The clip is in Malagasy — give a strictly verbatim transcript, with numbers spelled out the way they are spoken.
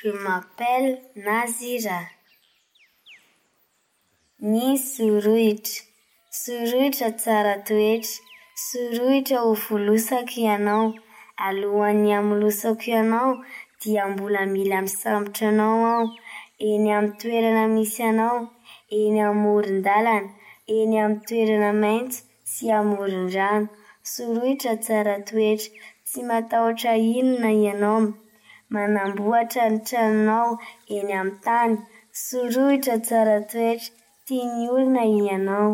Je m'appelle Nazira. Ny sorohitra. Sorohitra tsara toetra. Sorohitra ho volosako ianao. Alohan'ny hamolosako ianao dia mbola mila misambotra anao aho. Eny amin'ny toerana misy anao, eny amoron-dalana, eny amin'ny toerana maitso sy amoron-drano. Sorohitra tsara toetra. Tsy matahotra inona ianao. Manamboatra ny tranonao eny amin'ny tany. Sorohitra tsara toetra. Tian'ny olona ianao.